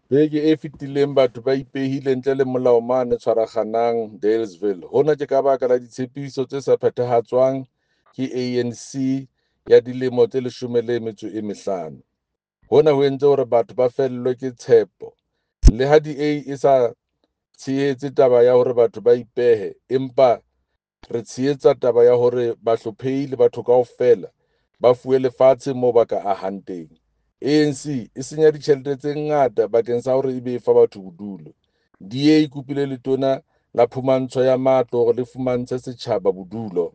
Beke e fetileng batho ba ipehile ntle le molao mane Tshwaraganang, Dealesville. Hona ke ka baka la ditshepiso tse sa phethahatswang ke ANC ya dilemo tse 15. Hona ho entse hore batho ba fellwe ke tshepo. Le ha DA e sa tshehetse taba ya hore batho ba ipehe, empa re tshehetsa taba ya hore bahlophehi le batho kaofela ba fuwe lefatshe moo ba ka ahang teng. ANC e senya ditjhelete tse ngata bakeng sa hore ebe e fa batho bodulo. DA e kopile letona la phumantsho ya matlo hore le fumantshe setjhaba bodulo.